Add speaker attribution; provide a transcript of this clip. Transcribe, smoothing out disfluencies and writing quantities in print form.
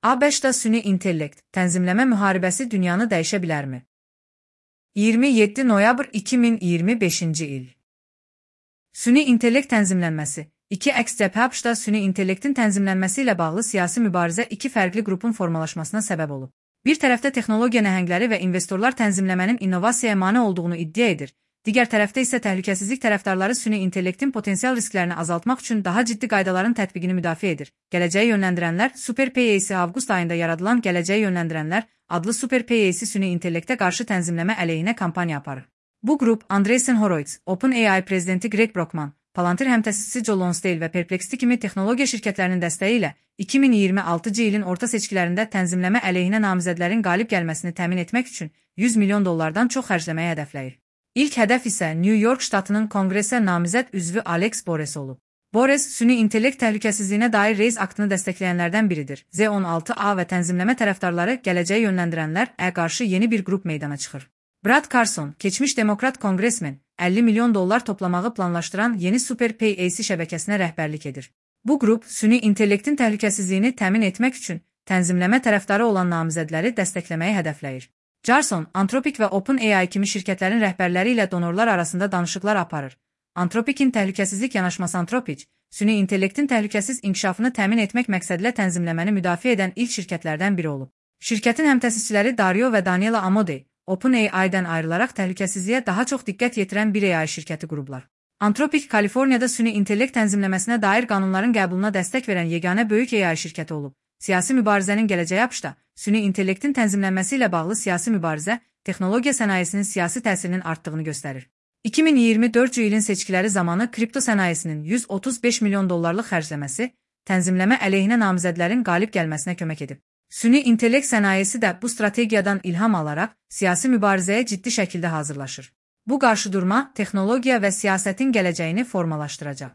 Speaker 1: ABŞ-da süni intellekt, tənzimləmə müharibəsi dünyanı dəyişə bilərmi? 27 noyabr 2025-ci il. Süni intellekt tənzimlənməsi. İki əks cəbhə ABŞ-da süni intellektin tənzimlənməsi ilə bağlı siyasi mübarizə iki fərqli qrupun formalaşmasına səbəb olub. Bir tərəfdə texnologiya nəhəngləri və investorlar tənzimləmənin innovasiyaya mane olduğunu iddia edir. Digər tərəfdə isə təhlükəsizlik tərəfdarları süni intellektin potensial risklərini azaltmaq üçün daha ciddi qaydaların tətbiqini müdafiə edir. Gələcəyi yönləndirənlər Super PAC avqust ayında yaradılan Gələcəyi yönləndirənlər adlı Super PAC süni intellektə qarşı tənzimləmə əleyhinə kampaniya aparır. Bu qrup Andreessen Horowitz, OpenAI prezidenti Greg Brockman, Palantir həmtəsisi Joe Lonsdale və Perplexity kimi texnologiya şirkətlərinin dəstəyi ilə 2026-cı ilin orta seçkilərində tənzimləmə əleyhinə namizədlərin qalib gəlməsini təmin etmək üçün $100 milyon çox xərcləməyi hədəfləyir. İlk hədəf isə New York ştatının konqresə namizəd üzvü Alex Bores olub. Bores, süni intellekt təhlükəsizliyinə dair Reis aktını dəstəkləyənlərdən biridir. Z16A və tənzimləmə tərəfdarları Gələcəyi yönləndirənlər qarşı yeni bir qrup meydana çıxır. Brad Carson, keçmiş demokrat konqresmen, $50 milyon toplamağı planlaşdıran yeni Super PAC şəbəkəsinə rəhbərlik edir. Bu qrup, süni intellektin təhlükəsizliyini təmin etmək üçün tənzimləmə tərəfdarı olan namizədləri dəstəkləməyi hədəfləyir. Carson, Anthropic və OpenAI kimi şirkətlərin rəhbərləri ilə donorlar arasında danışıqlar aparır. Anthropic'in təhlükəsizlik yanaşması Anthropic, süni intellektin təhlükəsiz inkişafını təmin etmək məqsədilə tənzimləməni müdafiə edən ilk şirkətlərdən biri olub. Şirkətin həmtəsisçiləri Dario və Daniela Amodei, OpenAI-dən ayrılaraq təhlükəsizliyə daha çox diqqət yetirən bir AI şirkəti qurublar. Anthropic, Kaliforniyada süni intellekt tənzimləməsinə dair qanunların qəbuluna dəstək verən yeganə böyük AI şirkəti olub. Siyasi mübarizənin gələcəyi ABŞ-da süni intellektin tənzimlənməsi ilə bağlı siyasi mübarizə, texnologiya sənayesinin siyasi təsirinin artdığını göstərir. 2024-cü ilin seçkiləri zamanı kripto sənayesinin $135 milyon xərcləməsi, tənzimləmə əleyhinə namizədlərin qalib gəlməsinə kömək edib. Süni intellekt sənayesi də bu strategiyadan ilham alaraq siyasi mübarizəyə ciddi şəkildə hazırlaşır. Bu qarşıdurma texnologiya və siyasətin gələcəyini formalaşdıracaq.